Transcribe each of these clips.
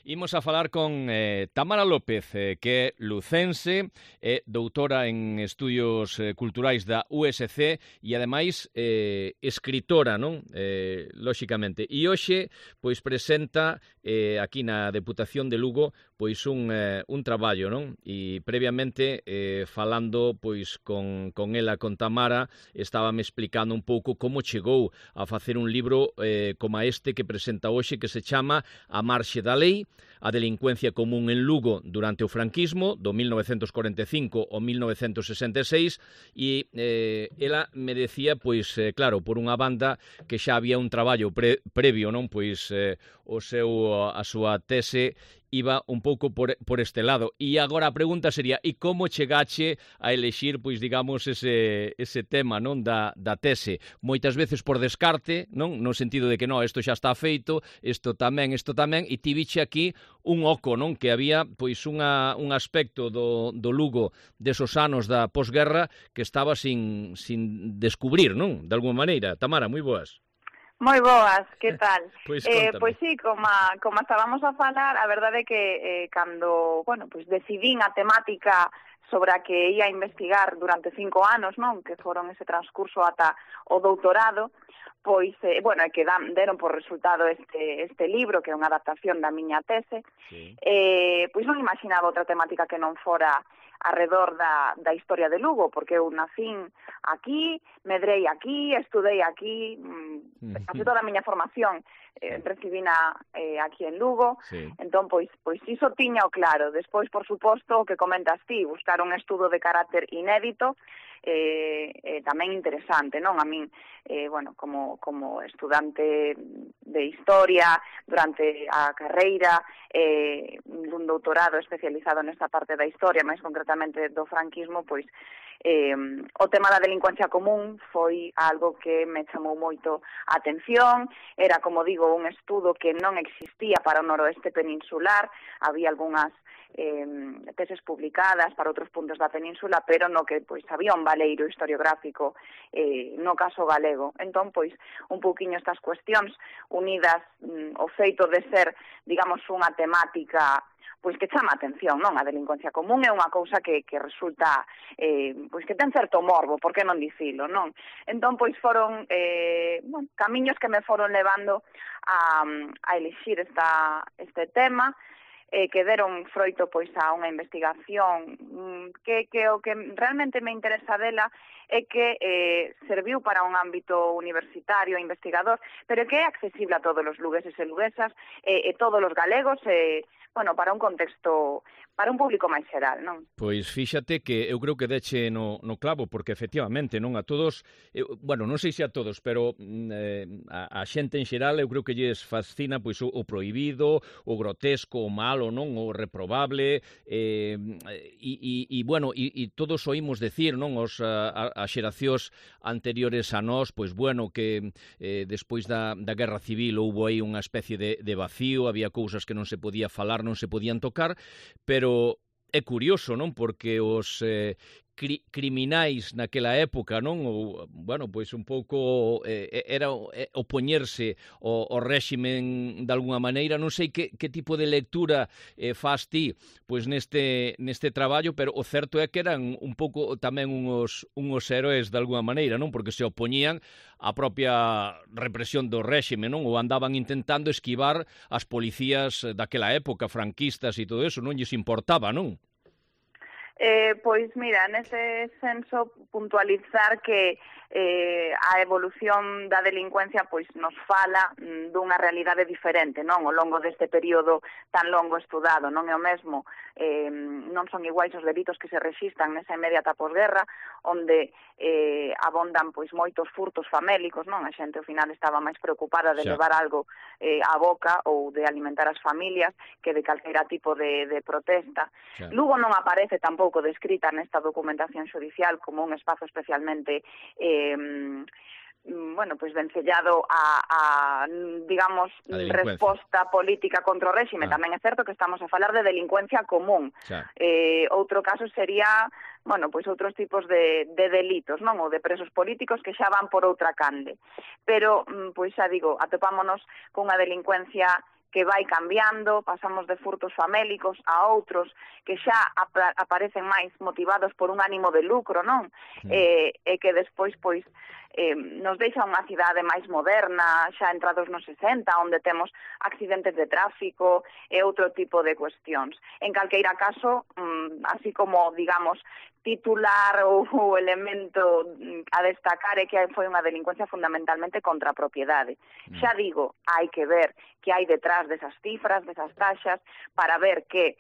Imos a falar con Tamara López, que é lucense, é doutora en Estudios Culturais da USC e, ademais, escritora, non? Lóxicamente. E hoxe, pois, presenta aquí na Deputación de Lugo, pois, un traballo, non? E, previamente, falando, pois, con ela, con Tamara, estábame explicando un pouco como chegou a facer un libro como este que presenta hoxe, que se chama A marxe da lei, a delincuencia común en Lugo durante o franquismo, do 1945 ao 1966, e ela me decía, pois, claro, por unha banda que xa había un traballo previo, non? Pois a súa tese iba un pouco por este lado. E agora a pregunta sería, e como chegache a elexir, pois, digamos, ese tema, non, da tese? Moitas veces por descarte, non? No sentido de que, non, isto xa está feito, isto tamén, e ti viche aquí un oco, non? Que había, pois, un aspecto do Lugo desos anos da posguerra que estaba sin descubrir, non? De alguma maneira. Tamara, moi boas. Moi boas, que tal? Pois sí, como estábamos a falar, a verdade é que cando, pois decidín a temática sobre a que ia investigar durante 5 anos, non? Que foron ese transcurso ata o doutorado, pois, é que deron por resultado este libro, que é unha adaptación da miña tese, sí. Pois non imaginaba outra temática que non fora arredor da historia de Lugo, porque eu nacín aquí, medrei aquí, estudei aquí, casi toda a miña formación recibina aquí en Lugo, sí. Entón, pois iso tiña o claro. Despois, por suposto, o que comentas ti, buscar un estudo de carácter inédito, tamén interesante, non? A min, como estudante de historia, durante a carreira, dun doutorado especializado nesta parte da historia, máis concretamente do franquismo, pois o tema da delincuencia común foi algo que me chamou moito a atención. Era, como digo, un estudo que non existía para o noroeste peninsular, había algunhas teses publicadas para outros puntos da península, pero no que pois había un valeiro historiográfico no caso galego. Entón, pois, un pouquiño estas cuestións unidas ao feito de ser, digamos, unha temática pois que chama a atención, non? A delincuencia común é unha cousa que resulta, pois que ten certo morbo, por que non dicilo, non? Entón, pois foron camiños que me foron levando a elixir este tema, que deron froito pois a unha investigación que o que realmente me interesa dela é que serviu para un ámbito universitario, investigador, pero que é accesible a todos os lugueses e luguesas, e todos os galegos, para un contexto, para un público máis xeral, non? Pois fíxate que eu creo que deche no clavo, porque efectivamente, non, a todos, non sei se a todos, pero a xente en xeral eu creo que lles fascina pois o prohibido, o grotesco, o malo, non, o reprobable, e todos oímos decir, non, as xeracións anteriores a nós, pois que despois da Guerra Civil houbo aí unha especie de vacío, había cousas que non se podía falar, non se podían tocar, pero é curioso, non? Porque os criminais naquela época, non? Pois un pouco era opoñerse ao réximen de alguna maneira. Non sei que tipo de lectura faz ti pois neste traballo, pero o certo é que eran un pouco tamén uns héroes de alguna maneira, non? Porque se opoñían á propia represión do réxime, non? Ou andaban intentando esquivar as policías daquela época, franquistas e todo eso, non lles importaba, non? Pois mira, nese senso puntualizar que a evolución da delincuencia pois nos fala dunha realidade diferente, non? Ao longo deste período tan longo estudado, non é o mesmo, non son iguais os delitos que se rexistran nesa inmediata posguerra, onde abondan pois moitos furtos famélicos, non? A xente ao final estaba máis preocupada de levar algo á boca ou de alimentar as familias que de calquera tipo de protesta. Lugo non aparece tampouco descrita nesta documentación xudicial como un espazo especialmente vencellado a digamos, resposta política contra o réxime. Tamén é certo que estamos a falar de delincuencia común. Outro caso sería, outros tipos de delitos, non? Ou de presos políticos que xa van por outra cande. Pero, xa digo, atopámonos cunha delincuencia que vai cambiando, pasamos de furtos famélicos a outros que xa aparecen máis motivados por un ánimo de lucro, non? E que despois, pois, nos deixa unha cidade máis moderna, xa entrados nos 60, onde temos accidentes de tráfico e outro tipo de cuestións. En calqueira caso, así como, digamos, titular ou elemento a destacar é que foi unha delincuencia fundamentalmente contra a propiedade. Xa digo, hai que ver que hai detrás desas cifras, desas taxas, para ver que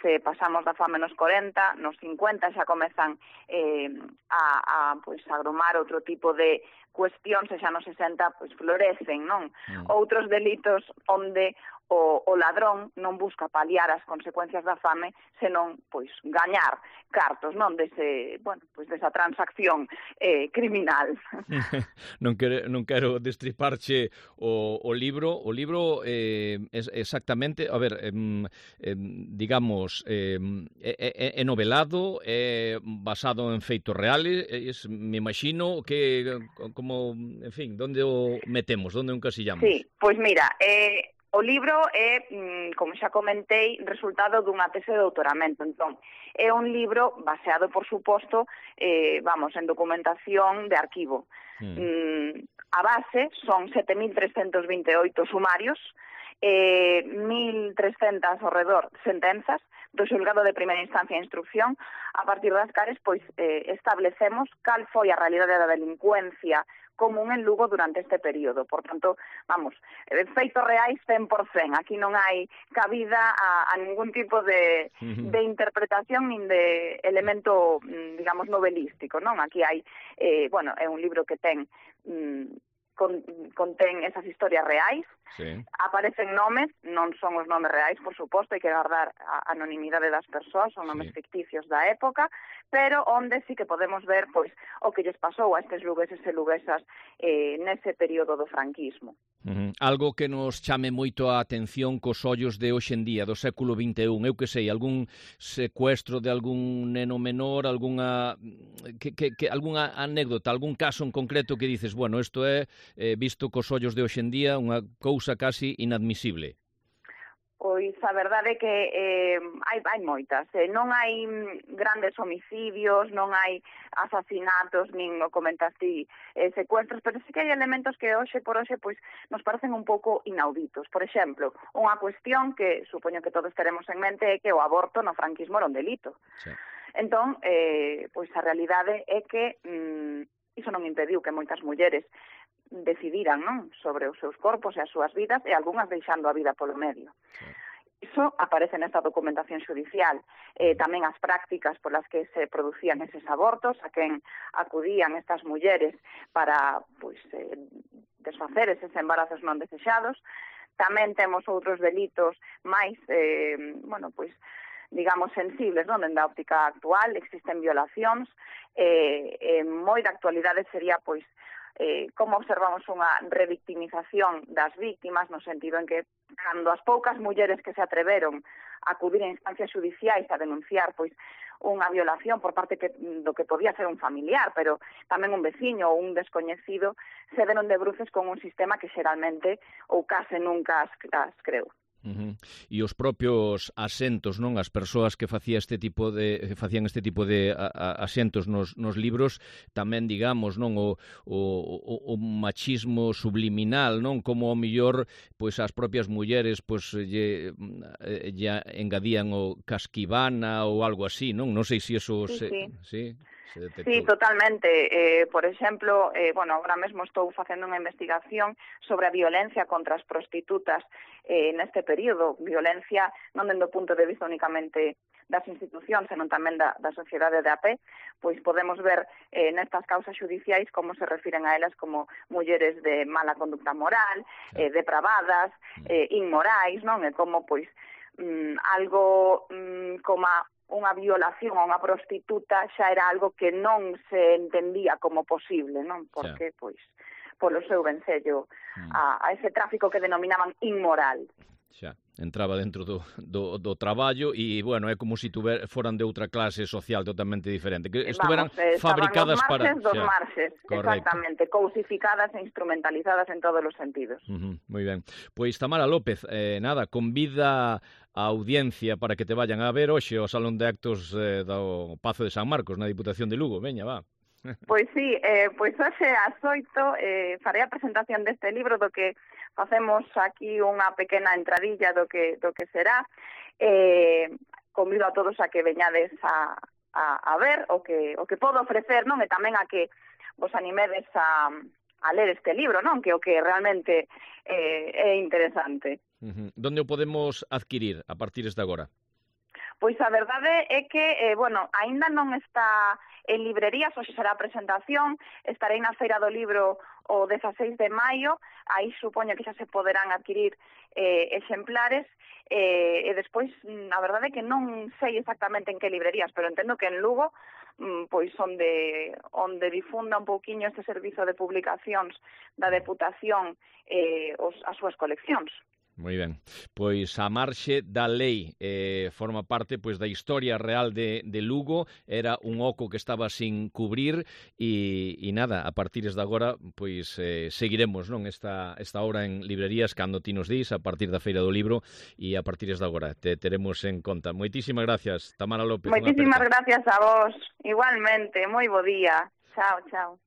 se pasamos da fame nos 40, nos 50 xa comezan pois, a agromar outro tipo de cuestións e xa nos 60 pois, florecen, non? Outros delitos onde o ladrón non busca paliar as consecuencias da fame, senón pois gañar cartos, non, dese, bueno, pois desa transacción criminal. Non quero destriparche o libro. O libro exactamente, a ver, digamos, é novelado, é basado en feitos reales, me imagino que como, en fin, onde o metemos, onde o encasillamos? Sí, pois mira, o libro é, como xa comentei, resultado dunha tese de doutoramento. Entón, é un libro baseado, por suposto, en documentación de arquivo. A base son 7.328 sumarios, 1.300 ao redor sentenzas do xulgado de primeira instancia e instrucción, a partir das cales pois establecemos cal foi a realidade da delincuencia común en Lugo durante este período. Por tanto, feitos reais 100%. Aquí non hai cabida a ningún tipo de interpretación nin de elemento, digamos, novelístico, non? Aquí hai, é un libro que ten contén esas historias reais, aparecen nomes, non son os nomes reais, por suposto, hai que guardar a anonimidade das persoas, son nomes ficticios da época, pero onde sí que podemos ver pois o que lles pasou a estes lugueses e luguesas nese período do franquismo. Algo que nos chame moito a atención cos ollos de hoxe en día, do século XXI, eu que sei, algún secuestro de algún neno menor, algunha anécdota, algún caso en concreto que dices, bueno, isto é, visto cos ollos de hoxe en día, unha cousa casi inadmisible. Pois a verdade é que hai moitas. Non hai grandes homicidios, non hai asasinatos, nin o comentaste secuestros, pero sí que hai elementos que hoxe por hoxe pois nos parecen un pouco inauditos. Por exemplo, unha cuestión que supoño que todos teremos en mente é que o aborto no franquismo era un delito. Sí. Entón, pois a realidade é que iso non impediu que moitas mulleres decidiran, non, sobre os seus corpos e as súas vidas, e algunhas deixando a vida polo medio. Sí. Iso aparece nesta documentación xudicial. Tamén as prácticas polas que se producían eses abortos, a quen acudían estas mulleres para pois desfacer eses embarazos non desexados. Tamén temos outros delitos máis, digamos, sensibles, non? Dende a óptica actual, existen violacións, moi da actualidade sería, pois, como observamos unha revictimización das víctimas, no sentido en que cando as poucas mulleres que se atreveron a acudir a instancias judiciais a denunciar pois unha violación por parte do que podía ser un familiar, pero tamén un veciño ou un descoñecido, se deron de bruces con un sistema que xeralmente ou case nunca as creu. E os propios asentos, non, as persoas que facían este tipo de asentos nos libros, tamén, digamos, non, o machismo subliminal, non, como ao mellor pois as propias mulleres pois lle engadían o casquivana ou algo así, non? Non sei se eso sí. Sí, totalmente. Por exemplo, agora mesmo estou facendo unha investigación sobre a violencia contra as prostitutas neste período. Violencia non dende o punto de vista únicamente das institucións, senón tamén da sociedade de a pé, pois podemos ver nestas causas judiciais como se refiren a elas como mulleres de mala conducta moral, depravadas, inmorais, non? E como, pois, algo como unha violación a unha prostituta xa era algo que non se entendía como posible, non? Porque, pois, polo seu vencello a ese tráfico que denominaban inmoral. Xa, entraba dentro do traballo e, bueno, é como se foran de outra clase social totalmente diferente, que estuveran fabricadas para... Dos marxes, correcto. Exactamente, cousificadas e instrumentalizadas en todos os sentidos. Moi ben. Pois Tamara López, nada, convida a audiencia para que te vayan a ver hoxe ao Salón de Actos do Pazo de San Marcos, na Diputación de Lugo. Veña, va. Pois sí, pois hoxe ás 8 farei a presentación deste libro do que facemos aquí unha pequena entradilla do que será. Convido a todos a que veñades a ver o que podo ofrecer, non? E tamén a que vos animedes a ler este libro, non? Que o que realmente é interesante. Donde o podemos adquirir a partir de agora? Pois a verdade é que, aínda non está en librerías, hoxe será a presentación, estarei na Feira do Libro o 16 de maio, aí supoño que xa se poderán adquirir exemplares, e despois, a verdade é que non sei exactamente en que librerías, pero entendo que en Lugo, pois onde difunda un pouquiño este servizo de publicacións da Deputación as súas coleccións. Moi ben. Pois A marxe da lei forma parte pois da historia real de Lugo, era un oco que estaba sin cubrir e nada, a partir de agora pois seguiremos, non, esta hora en librerías cando ti nos dis, a partir da Feira do Libro e a partir de agora te teremos en conta. Moitísimas gracias, Tamara López. Moitísimas gracias a vos, igualmente, moi bo día. Chao, chao.